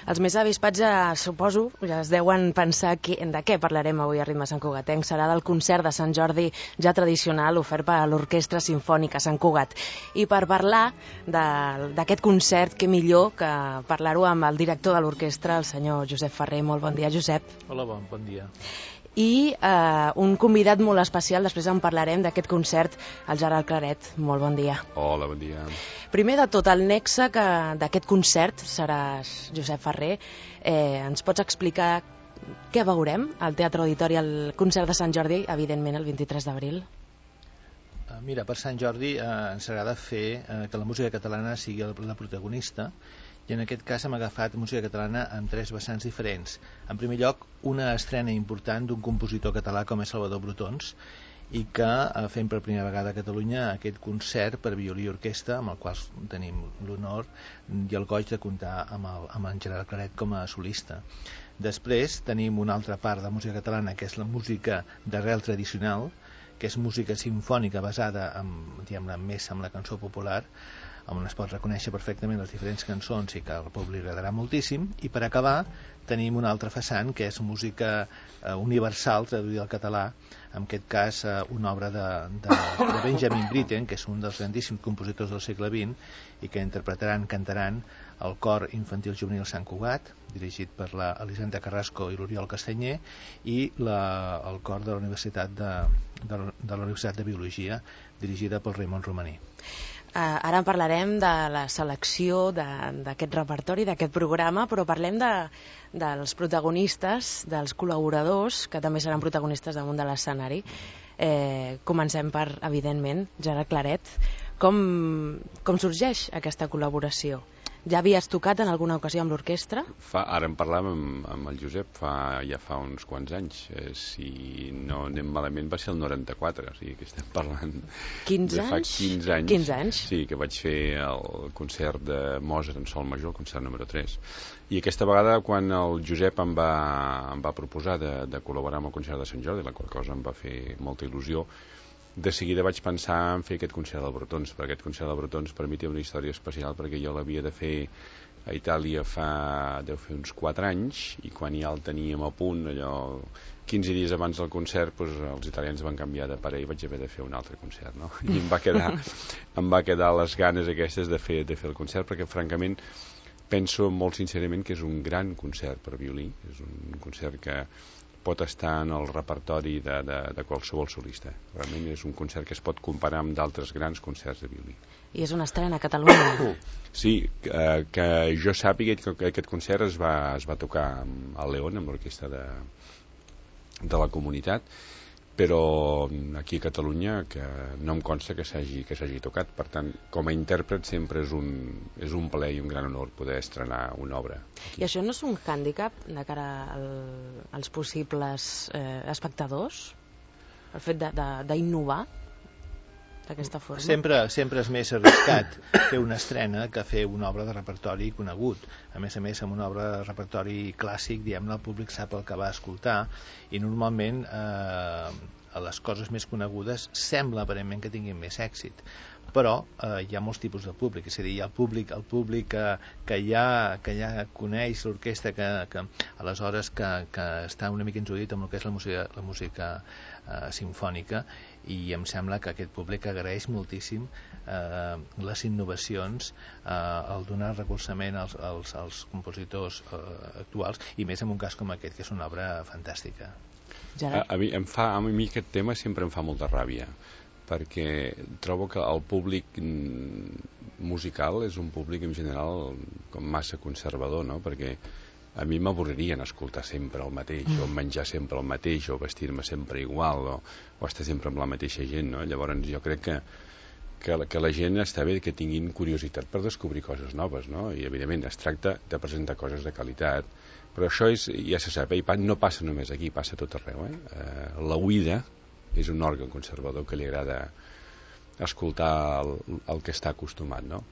Els més avispats suposo, ja es deuen pensar de què parlarem avui a Ritme Sant Cugatenc. Serà del concert de Sant Jordi ja tradicional ofert per l'Orquestra Simfònica Sant Cugat. I per parlar d'aquest concert, què millor que parlar-ho amb el director de l'orquestra, el senyor Josep Ferrer. Molt bon dia, Josep. Hola, bon dia. I un convidat molt especial, després en parlarem d'aquest concert, el Gerard Claret. Molt bon dia. Hola, bon dia. Primer de tot, el nexe d'aquest concert seràs Josep Ferrer. Ens pots explicar què veurem al Teatre Auditori al concert de Sant Jordi, evidentment el 23 d'abril? Mira, per Sant Jordi ens agrada fer que la música catalana sigui la protagonista, i en aquest cas hem agafat música catalana en tres vessants diferents. En primer lloc, una estrena important d'un compositor català com és Salvador Brotons, i que fem per primera vegada a Catalunya aquest concert per violí i orquestra, amb el qual tenim l'honor i el goig de comptar amb en Gerard Claret com a solista. Després tenim una altra part de música catalana, que és la música d'arrel tradicional, que és música simfònica basada més en la cançó popular, on es pot reconèixer perfectament les diferents cançons i que al públic li agradarà moltíssim. I per acabar tenim un altre vessant, que és música universal traduïda al català, en aquest cas una obra de Benjamin Britten, que és un dels grandíssims compositors del segle XX i que cantaran el cor infantil juvenil Sant Cugat, dirigit per l'Elisenda Carrasco i l'Oriol Castanyer, i el cor de la Universitat de Biologia, dirigida pel Raimon Romaní. Ara en parlarem de la selecció d'aquest repertori, d'aquest programa, però parlem dels protagonistes, dels col·laboradors, que també seran protagonistes damunt de l'escenari. Comencem per, evidentment, Gerard Claret. Com sorgeix aquesta col·laboració? Ja havies tocat en alguna ocasió amb l'orquestra? Ara en parlàvem amb el Josep ja fa uns quants anys. Si no anem malament va ser el 94, o sigui que estem parlant 15 de fa anys? 15 anys. 15 anys? Sí, que vaig fer el concert de Mozart en sol major, el concert número 3. I aquesta vegada, quan el Josep em va proposar de col·laborar amb el concert de Sant Jordi, la qual cosa em va fer molta il·lusió, de seguida vaig pensar en fer aquest concert del Brotons, perquè aquest concert del Brotons per mi té una història especial, perquè jo l'havia de fer a Itàlia deu fer uns 4 anys, i quan ja el teníem a punt, allò 15 dies abans del concert, els italians van canviar de parer i vaig haver de fer un altre concert, no? I em va quedar les ganes aquestes de fer el concert, perquè francament penso molt sincerament que és un gran concert per violí, és un concert que pot estar en el repertori de qualsevol solista. Realment és un concert que es pot comparar amb d'altres grans concerts de violí. I és una estrena a Catalunya. Sí, que jo sàpiga que aquest concert es va tocar al León, amb l'orquestra de la comunitat, però aquí a Catalunya que no em consta que s'hagi tocat. Per tant, com a intèrpret sempre és un plaer i un gran honor poder estrenar una obra aquí. I això no és un hàndicap de cara als possibles espectadors? El fet d'innovar d'aquesta forma? Sempre és més arriscat fer una estrena que fer una obra de repertori conegut. A més, amb una obra de repertori clàssic, diguem-ne, el públic sap el que va escoltar, i normalment a les coses més conegudes sembla aparentment que tinguin més èxit, però hi ha molts tipus de públic, és a dir, hi ha el públic que ja coneix l'orquestra, que aleshores que està una mica introduït amb el que és la música simfònica, i em sembla que aquest públic agraeix moltíssim les innovacions, el donar recolzament als compositors actuals, i més en un cas com aquest, que és una obra fantàstica. A mi aquest tema sempre em fa molta ràbia, perquè trobo que el públic musical és un públic en general com massa conservador, no? Perquè a mi m'avorririen escoltar sempre el mateix, o menjar sempre el mateix, o vestir-me sempre igual, o estar sempre amb la mateixa gent, no? Llavors jo crec que la gent està bé que tinguin curiositat per descobrir coses noves, no? I evidentment es tracta de presentar coses de qualitat, però això ja se sap, no passa només aquí, passa a tot arreu. La oïda és un òrgan conservador que li agrada escoltar el que està acostumat, no?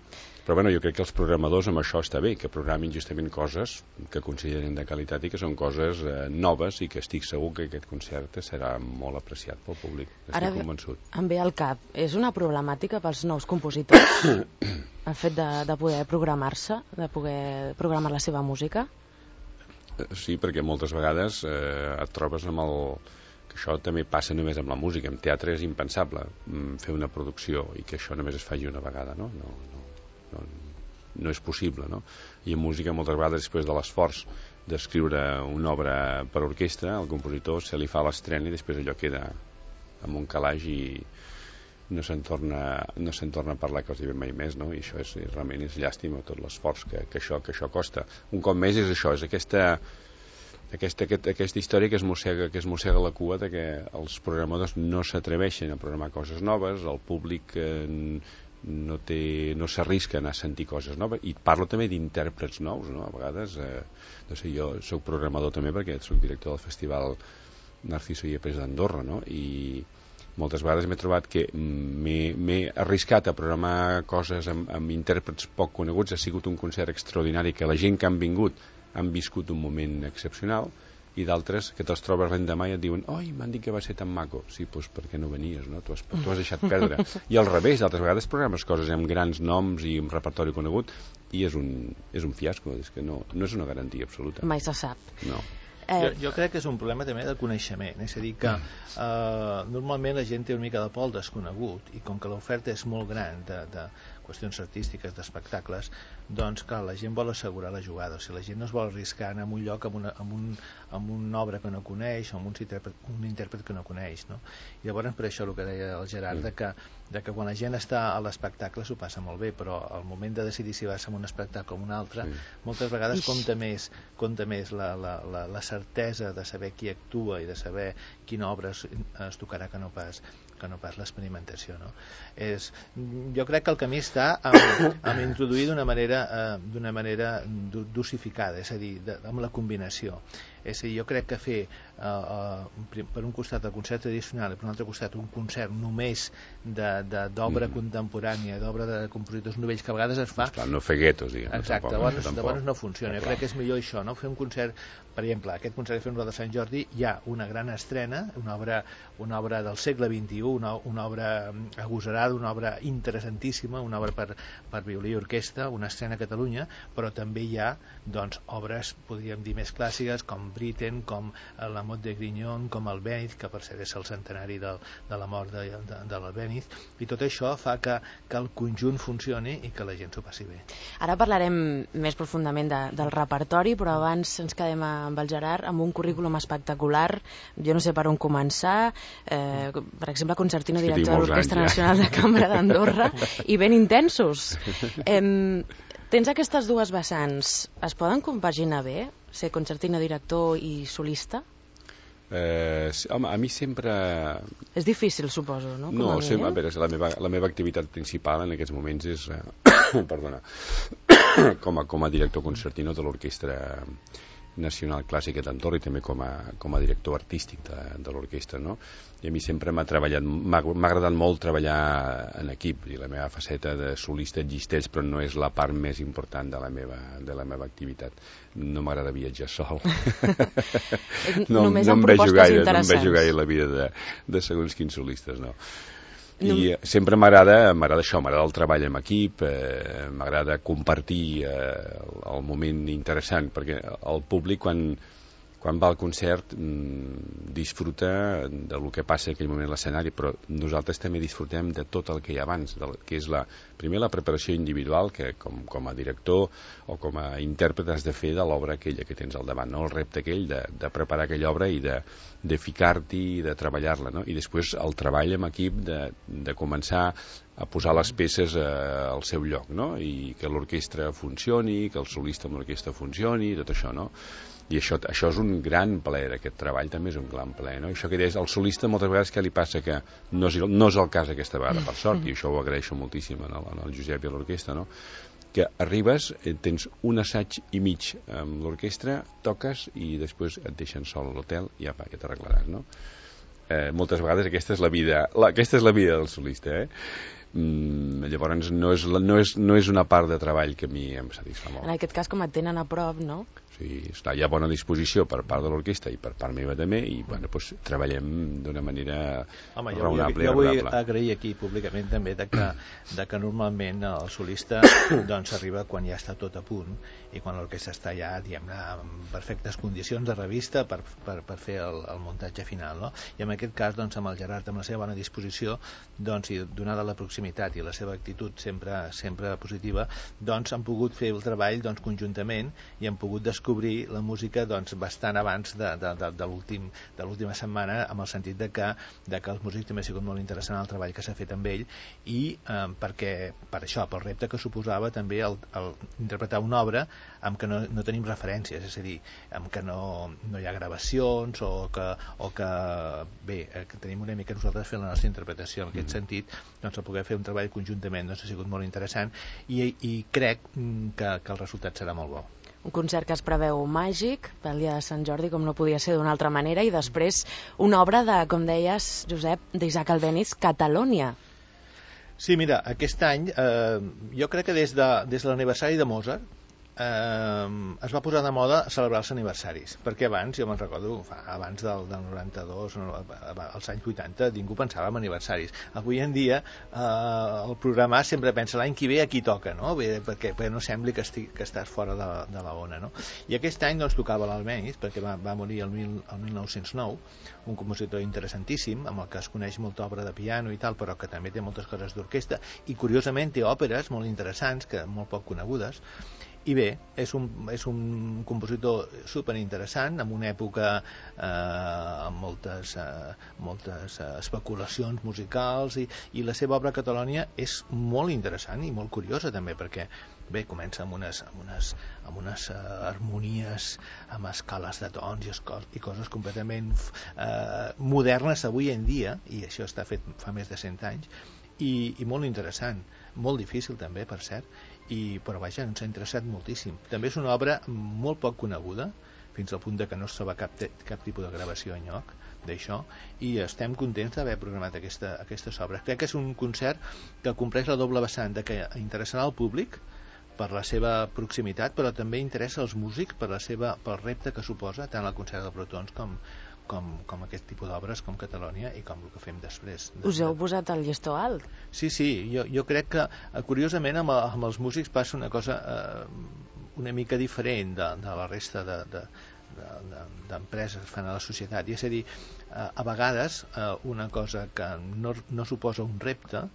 Però bueno, jo crec que els programadors amb això està bé, que programin justament coses que consideren de qualitat i que són coses noves, i que estic segur que aquest concert serà molt apreciat pel públic. Estic convençut. Em ve al cap, és una problemàtica pels nous compositors el fet de poder programar-se, de poder programar la seva música? Sí, perquè moltes vegades et trobes amb el... que això també passa només amb la música. En teatre és impensable fer una producció i que això només es faci una vegada, no? No és possible, no? I en música moltes vegades, després de l'esforç d'escriure una obra per orquestra, al compositor se li fa l'estrena i després allò queda amb un calaix i no se'n torna a parlar quasi mai més, no? I això realment és llàstima, tot l'esforç que això costa. Un cop més és això, és aquesta història que es mossega la cua de que els programadors no s'atreveixen a programar coses noves, el públic no s'arrisca a anar a sentir coses noves, i parlo també d'intèrprets nous, no? A vegades, no sé, jo soc programador també perquè soc director del festival Narciso Yepes d'Andorra, no? I moltes vegades m'he trobat que m'he arriscat a programar coses amb intèrprets poc coneguts. Ha sigut un concert extraordinari que la gent que han vingut han viscut un moment excepcional, i d'altres que te'ls trobes l'endemà i et diuen oi, m'han dit que va ser tan maco. Sí, doncs per què no venies, no? Tu has deixat perdre. I al revés, d'altres vegades programes coses amb grans noms i amb repertori conegut i és un fiasco, és que no és una garantia absoluta. Mai se sap. No. Jo crec que és un problema també de coneixement, és a dir que normalment la gent té una mica de por al desconegut, i com que l'oferta és molt gran de qüestions artístiques, d'espectacles, doncs clar, la gent vol assegurar la jugada, o sigui, la gent no es vol arriscar a anar a un lloc amb una obra que no coneix o amb un intèrpret que no coneix, no? I llavors per això el que deia el Gerard, de que quan la gent està a l'espectacle s'ho passa molt bé, però al moment de decidir si vas a un espectacle o un altre, moltes vegades compta més la certesa de saber qui actua i de saber quina obra es tocarà que no pas l'experimentació, no? Jo crec que el camí està en introduir d'una manera dosificada, és a dir, amb la combinació. És a dir, jo crec que fer per un costat el concert tradicional i per un altre costat un concert només d'obra contemporània, d'obra de compositors novells, que a vegades es fa... Esclar, no fer guetos, diguem. Exacte, llavors no funciona. Jo crec que és millor això, no? Fer un concert, per exemple, aquest concert que fem de Sant Jordi, hi ha una gran estrena, una obra del segle XXI, una obra agosarada, una obra interessantíssima, una obra per violí i orquestra, una estrena a Catalunya, però també hi ha doncs, obres, podríem dir, més clàssiques, com Britten, com la Mot de Grignon, com el Albéniz, que per cert és el centenari de la mort de l'Albéniz, i tot això fa que el conjunt funcioni i que la gent s'ho passi bé. Ara parlarem més profundament del repertori, però abans ens quedem amb el Gerard amb un currículum espectacular. Jo no sé per on començar. Per exemple, concertino director de l'Orquestra Nacional de Cambra d'Andorra, i ben intensos. Tens aquestes dues vessants, es poden compaginar bé, ser concertino director i solista? Home, a mi sempre... És difícil, suposo, no? No, a veure, la meva activitat principal en aquests moments és perdona, com a director concertino de l'Orquestra Nacional Clàssica d'Andorra i també com a director artístic de l'orquestra, no? I a mi sempre m'ha agradat molt treballar en equip, i la meva faceta de solista existeix, però no és la part més important de la meva activitat. No m'agrada viatjar sol. Només amb propostes interessants. No em veig gaire la vida de segons quins solistes, no. I sempre m'agrada això, m'agrada el treball en equip, m'agrada compartir el moment interessant, perquè el públic quan va al concert disfruta del que passa en aquell moment a l'escenari, però nosaltres també disfrutem de tot el que hi ha abans, que és primer la preparació individual, que com a director o com a intèrpret has de fer de l'obra aquella que tens al davant, no? El repte aquell de preparar aquella obra i de ficar-t'hi i de treballar-la, no? I després el treball en equip de començar a posar les peces al seu lloc, no? I que l'orquestra funcioni, que el solista amb l'orquestra funcioni, tot això, no? I això és un gran plaer, aquest treball també és un gran plaer, no? I això que deies, el solista moltes vegades què li passa, que no és el cas aquesta vegada, per sort, i això ho agraeixo moltíssim al Josep i a l'orquestra, no? Que arribes, tens un assaig i mig amb l'orquestra, toques i després et deixen sol a l'hotel i apa, ja t'arreglaràs, no? Moltes vegades aquesta és la vida del solista, Llavors no és una part de treball que a mi em satisfà molt. En aquest cas, com et tenen a prop, no? Esclar, hi ha bona disposició per part de l'orquestra i per part meva també, i bueno, doncs, treballem d'una manera raonable. Jo vull agrair aquí públicament també de que normalment el solista doncs arriba quan ja està tot a punt i quan l'orquestra està ja, diguem-ne, en perfectes condicions de revista per fer el muntatge final, no? I en aquest cas, doncs, amb el Gerard, amb la seva bona disposició, doncs, i donada la proximitat i la seva actitud sempre positiva, doncs han pogut fer el treball doncs, conjuntament, i han pogut descobrir la música doncs, bastant abans de l'última setmana, amb el sentit de que els músics també ha sigut molt interessant el treball que s'ha fet amb ell, i perquè per això, pel repte que suposava també el interpretar una obra amb què no tenim referències, és a dir, amb què no hi ha gravacions o que bé, que tenim una mica nosaltres fent la nostra interpretació. En aquest sentit, doncs, el poder fer un treball conjuntament doncs, ha sigut molt interessant, i crec que el resultat serà molt bo. Un concert que es preveu màgic pel dia de Sant Jordi, com no podia ser d'una altra manera, i després una obra de, com deies, Josep, d'Isaac Albéniz, Catalònia. Sí, mira, aquest any jo crec que des de l'aniversari de Mozart es va posar de moda celebrar els aniversaris, perquè abans, jo me'n recordo, abans del 92, als anys 80, ningú pensava en aniversaris. Avui en dia el programar sempre pensa l'any que ve a qui toca, no? Perquè no sembli que estàs fora de la ona, no? I aquest any doncs tocava l'Albéniz, perquè va morir el 1909, un compositor interessantíssim, amb el que es coneix molta obra de piano i tal, però que també té moltes coses d'orquestra, i curiosament té òperes molt interessants, que molt poc conegudes. I bé, és un compositor superinteressant, en una època amb moltes especulacions musicals, i la seva obra Catalònia és molt interessant i molt curiosa també, perquè bé, comença amb unes harmonies, amb escales de tons i coses completament modernes avui en dia, i això està fet fa més de 100 anys, i molt interessant, molt difícil també, per cert, però vaja, ens ha interessat moltíssim. També és una obra molt poc coneguda, fins al punt que no es troba cap tipus de gravació enlloc d'això, i estem contents d'haver programat aquestes obres. Crec que és un concert que compleix la doble vessant de que interessarà al públic per la seva proximitat, però també interessa als músics pel repte que suposa tant el concert de Protons com aquest tipus d'obres, com Catalònia, i com el que fem després. Us heu posat el llistó alt? Sí, jo crec que curiosament amb els músics passa una cosa una mica diferent de la resta d'empreses que fan a la societat, i és a dir, a vegades una cosa que no suposa un repte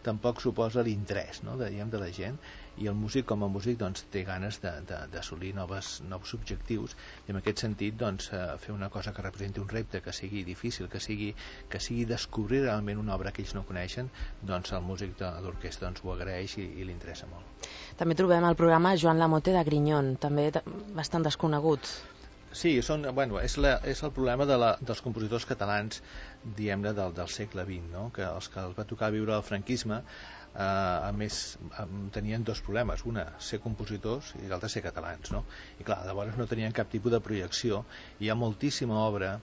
tampoc suposa l'interès, no?, de la gent, i el músic com a músic doncs, té ganes d'assolir nous objectius, i en aquest sentit doncs, fer una cosa que representi un repte, que sigui difícil, que sigui descobrir realment una obra que ells no coneixen, doncs el músic de l'orquestra doncs, ho agraeix i li interessa molt. També trobem al programa Joan Lamote de Grignon, també bastant desconegut. Sí, és el problema dels compositors catalans, diguem-ne, del segle XX, no? Que els va tocar viure el franquisme, a més tenien dos problemes, una, ser compositors, i l'altre, ser catalans, no? I clar, llavors no tenien cap tipus de projecció. Hi ha moltíssima obra,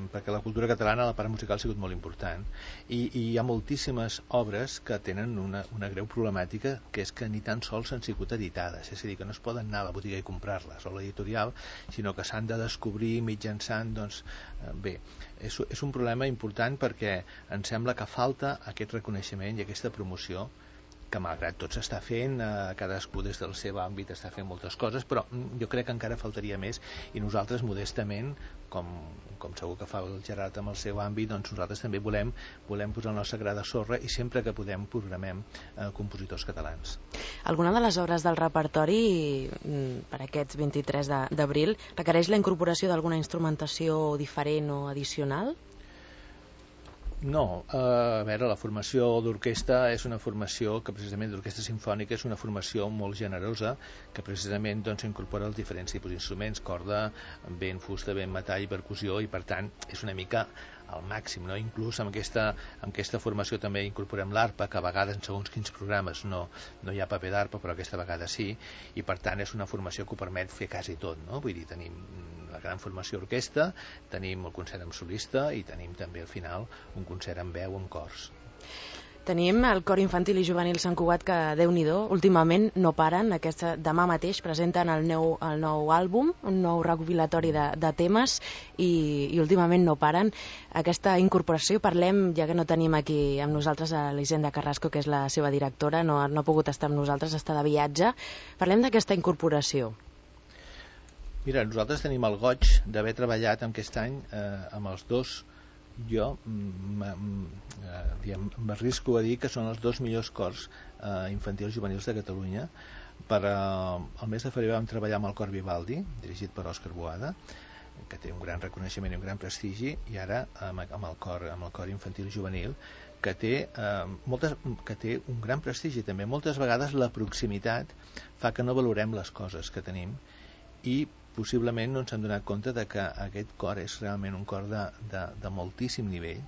perquè la cultura catalana, la part musical, ha sigut molt important, i hi ha moltíssimes obres que tenen una greu problemàtica, que és que ni tan sols han sigut editades, és a dir, que no es poden anar a la botiga i comprar-les, o a l'editorial, sinó que s'han de descobrir mitjançant, doncs, bé, és un problema important, perquè em sembla que falta aquest reconeixement i aquesta promoció, que malgrat tot s'està fent, cadascú des del seu àmbit està fent moltes coses, però jo crec que encara faltaria més, i nosaltres modestament, com segur que fa el Gerard amb el seu àmbit, doncs nosaltres també volem posar la nostra gra de sorra, i sempre que podem programem compositors catalans. Alguna de les obres del repertori per aquests 23 d'abril requereix la incorporació d'alguna instrumentació diferent o addicional? No, a veure, la formació d'orquestra és una formació que precisament d'orquestra sinfònica és una formació molt generosa, que precisament doncs, incorpora els diferents tipus d'instruments, corda, vent, fusta, vent, metall i percussió, i per tant és una mica al màxim, no? Inclús amb aquesta formació també incorporem l'arpa, que a vegades en segons quins programes no hi ha paper d'arpa, però aquesta vegada sí, i per tant és una formació que ho permet fer quasi tot, no? Vull dir, tenim la gran formació orquestra, tenim el concert amb solista, i tenim també al final un concert amb veu, amb cors. Tenim el Cor Infantil i Juvenil Sant Cugat que, Déu-n'hi-do, últimament no paren. Demà mateix presenten el nou àlbum, un nou recopilatori de temes i últimament no paren. Aquesta incorporació, parlem, ja que no tenim aquí amb nosaltres a l'Hisenda Carrasco, que és la seva directora, no ha pogut estar amb nosaltres, està de viatge. Parlem d'aquesta incorporació. Mira, nosaltres tenim el goig d'haver treballat aquest any amb els dos. Jo m'arrisco a dir que són els dos millors cors infantils juvenils de Catalunya. El mes de febrer vam treballar amb el Cor Vivaldi, dirigit per Òscar Boada, que té un gran reconeixement i un gran prestigi, i ara amb el Cor Infantil i Juvenil, que té un gran prestigi també. Moltes vegades la proximitat fa que no valorem les coses que tenim i possiblement no ens hem donat compte de que aquest cor és realment un cor de moltíssim nivell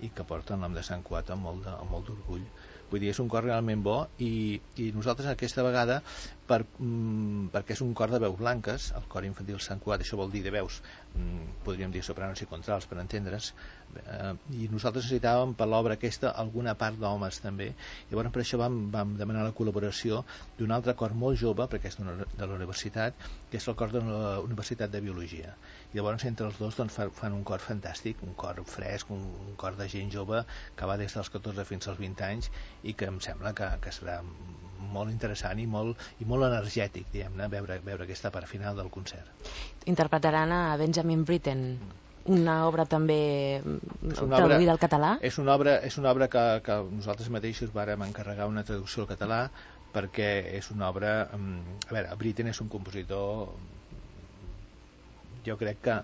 i que porta el nom de Sant Cugat amb molt d'orgull. Vull dir, és un cor realment bo i nosaltres aquesta vegada, perquè és un cor de veus blanques, el Cor Infantil Sant Cugat, això vol dir de veus, podríem dir sopranos i contrals per entendre's, i nosaltres necessitàvem per l'obra aquesta alguna part d'homes també, i llavors per això vam demanar la col·laboració d'un altre cor molt jove, perquè és de la universitat, que és el cor de la Universitat de Biologia, i llavors entre els dos fan un cor fantàstic, un cor fresc, un cor de gent jove que va des dels 14 fins als 20 anys i que em sembla que serà molt interessant i molt energètic, diguem-ne, veure aquesta part final del concert. Interpretaran a Benjamin Britten, una obra també traduïda al català? És una obra que nosaltres mateixos vàrem encarregar una traducció al català, perquè és una obra... A veure, Britten és un compositor... Jo crec que...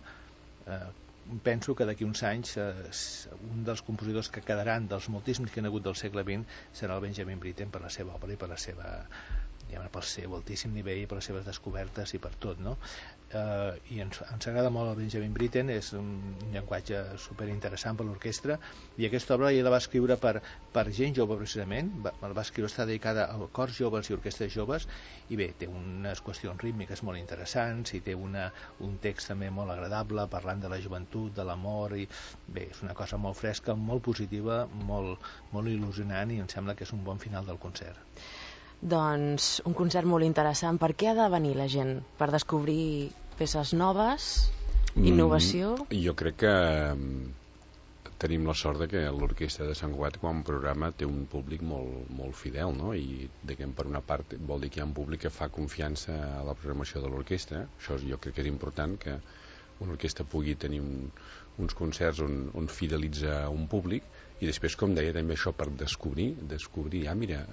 penso que d'aquí uns anys un dels compositors que quedaran dels moltíssims que han hagut del segle XX serà el Benjamin Britten, per la seva obra i per la seva, pel seu altíssim nivell i per les seves descobertes i per tot, no? I ens agrada molt el Benjamin Britten, és un llenguatge superinteressant per l'orquestra, i aquesta obra ella la va escriure per gent jove precisament, va escriure, està dedicada a cors joves i orquestres joves, i bé, té unes qüestions rítmiques molt interessants i té un text també molt agradable parlant de la joventut, de l'amor, i bé, és una cosa molt fresca, molt positiva, molt il·lusionant, i em sembla que és un bon final del concert. Doncs un concert molt interessant. Per què ha de venir la gent? Per descobrir peces noves? Innovació? Jo crec que tenim la sort de que l'Orquestra de Sant Cugat, quan programa, té un públic molt fidel, no? I diguem, per una part vol dir que hi ha un públic que fa confiança a la programació de l'orquestra. Això jo crec que és important, que una orquestra pugui tenir uns concerts on fidelitza un públic, i després, com deia, també això per descobrir, mira,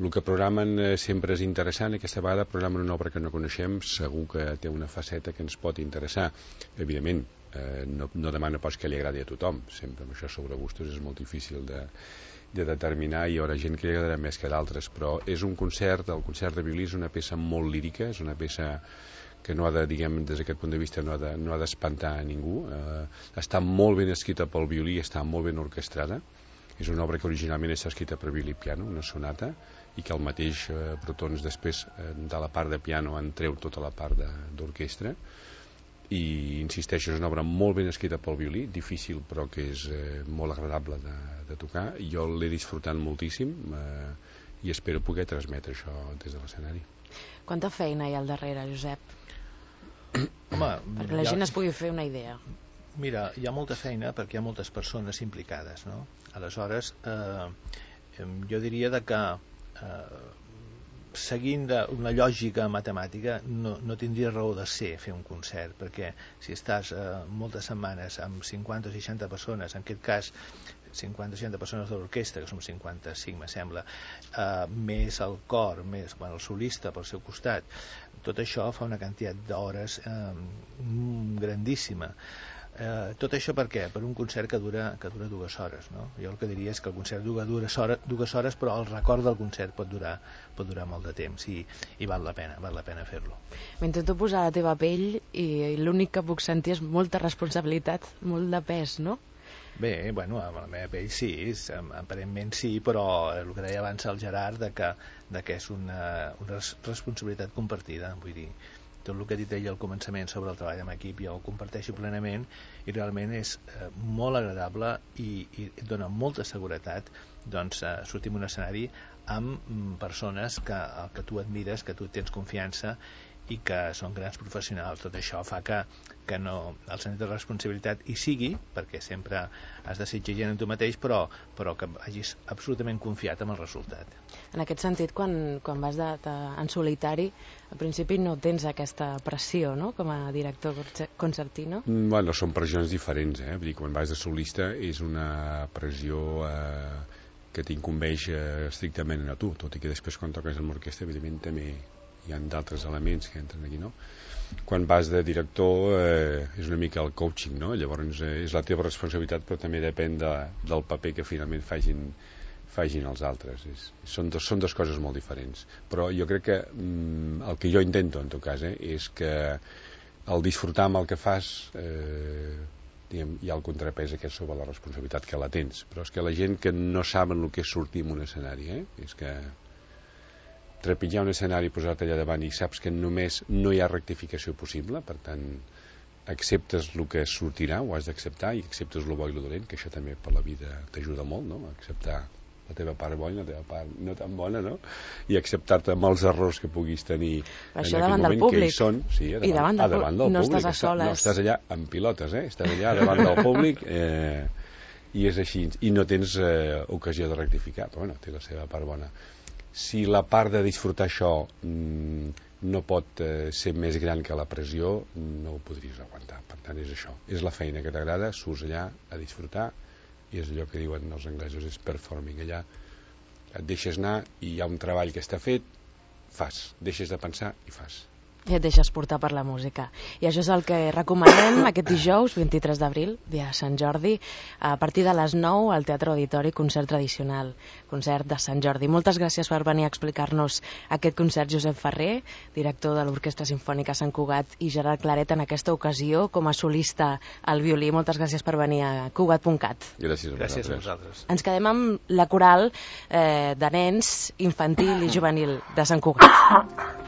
el que programen sempre és interessant, aquesta vegada programen una obra que no coneixem, segur que té una faceta que ens pot interessar. Evidentment, no demana pas que li agradi a tothom, sempre amb això sobre gustos és molt difícil de determinar, i hi haurà gent que li agradarà més que d'altres, però és un concert, el concert de violí és una peça molt lírica, és una peça que no ha de, diguem, des d'aquest punt de vista no ha d'espantar a ningú, està molt ben escrita pel violí, està molt ben orquestrada, és una obra que originalment està escrita per violí i piano, una sonata, i que el mateix Brotons després de la part de piano en treu tota la part d'orquestra, i insisteixo, és una obra molt ben escrita pel violí, difícil però que és molt agradable de tocar, i jo l'he disfrutat moltíssim i espero poder transmetre això des de l'escenari. Quanta feina hi ha al darrere, Josep? Home, perquè la gent es pugui fer una idea. Mira, hi ha molta feina perquè hi ha moltes persones implicades, no? Aleshores, jo diria que seguint una lògica matemàtica no tindria raó de ser fer un concert, perquè si estàs moltes setmanes amb 50 o 60 persones, en aquest cas 50 o 60 persones de l'orquestra, que som 55 me sembla, més el cor, més el solista pel seu costat, tot això fa una quantitat d'hores grandíssima. Tot això per què? Per un concert que dura 2 hores, no? Jo el que diria és que el concert dura 2 hores, però el record del concert pot durar molt de temps, i val la pena fer-lo. M'intento posar a la teva pell i l'únic que puc sentir és molta responsabilitat, molt de pes, no? Bé, bueno, amb la meva pell sí, aparentment sí, però el que deia abans el Gerard, de que és una responsabilitat compartida, vull dir, tot el que ha dit ell al començament sobre el treball en equip jo ho comparteixo plenament i realment és molt agradable i et dona molta seguretat sortir en un escenari amb persones que tu admires, que tu tens confiança i que són grans professionals. Tot això fa que no, el sentit de responsabilitat hi sigui, perquè sempre has de ser exigent en tu mateix, però que hagis absolutament confiat en el resultat. En aquest sentit, quan vas en solitari, al principi no tens aquesta pressió, no?, com a director concertino? Bueno, són pressions diferents, Vull dir, quan vas de solista és una pressió que t'incumbeix estrictament a tu, tot i que després quan toques amb l'orquestra, evidentment, també hi ha d'altres elements que entren aquí, no? Quan vas de director és una mica el coaching, no? Llavors és la teva responsabilitat, però també depèn del paper que finalment facin els altres. Són dues coses molt diferents. Però jo crec que el que jo intento, en tot cas, és que el disfrutar amb el que fas hi ha el contrapès aquest sobre la responsabilitat que la tens. Però és que la gent que no saben el que és sortir en un escenari, és que trepitjar un escenari i posar-te allà davant i saps que només no hi ha rectificació possible, per tant acceptes el que sortirà, ho has d'acceptar, i acceptes el bo i el dolent, que això també per la vida t'ajuda molt, no? Acceptar la teva part bona, la teva part no tan bona, no? I acceptar-te amb els errors que puguis tenir en aquell moment, que hi són, sí, davant del públic. No estàs a soles. No estàs allà en pilotes, estàs allà davant del públic i és així, i no tens ocasió de rectificar, però bueno, té la seva part bona. Si la part de disfrutar això no pot ser més gran que la pressió, no ho podries aguantar. Per tant, és això. És la feina que t'agrada, surts allà a disfrutar, i és allò que diuen els anglesos, és performing. Allà et deixes anar i hi ha un treball que està fet, fas. Deixes de pensar i fas. I et deixes portar per la música. I això és el que recomanem aquest dijous, 23 d'abril, dia de Sant Jordi, a partir de les 9 al Teatre Auditori, concert tradicional, concert de Sant Jordi. Moltes gràcies per venir a explicar-nos aquest concert, Josep Ferrer, director de l'Orquestra Simfònica Sant Cugat, i Gerard Claret en aquesta ocasió com a solista al violí. Moltes gràcies per venir a Cugat.cat. Gràcies a vosaltres. Ens quedem amb la coral de nens, infantil i juvenil de Sant Cugat.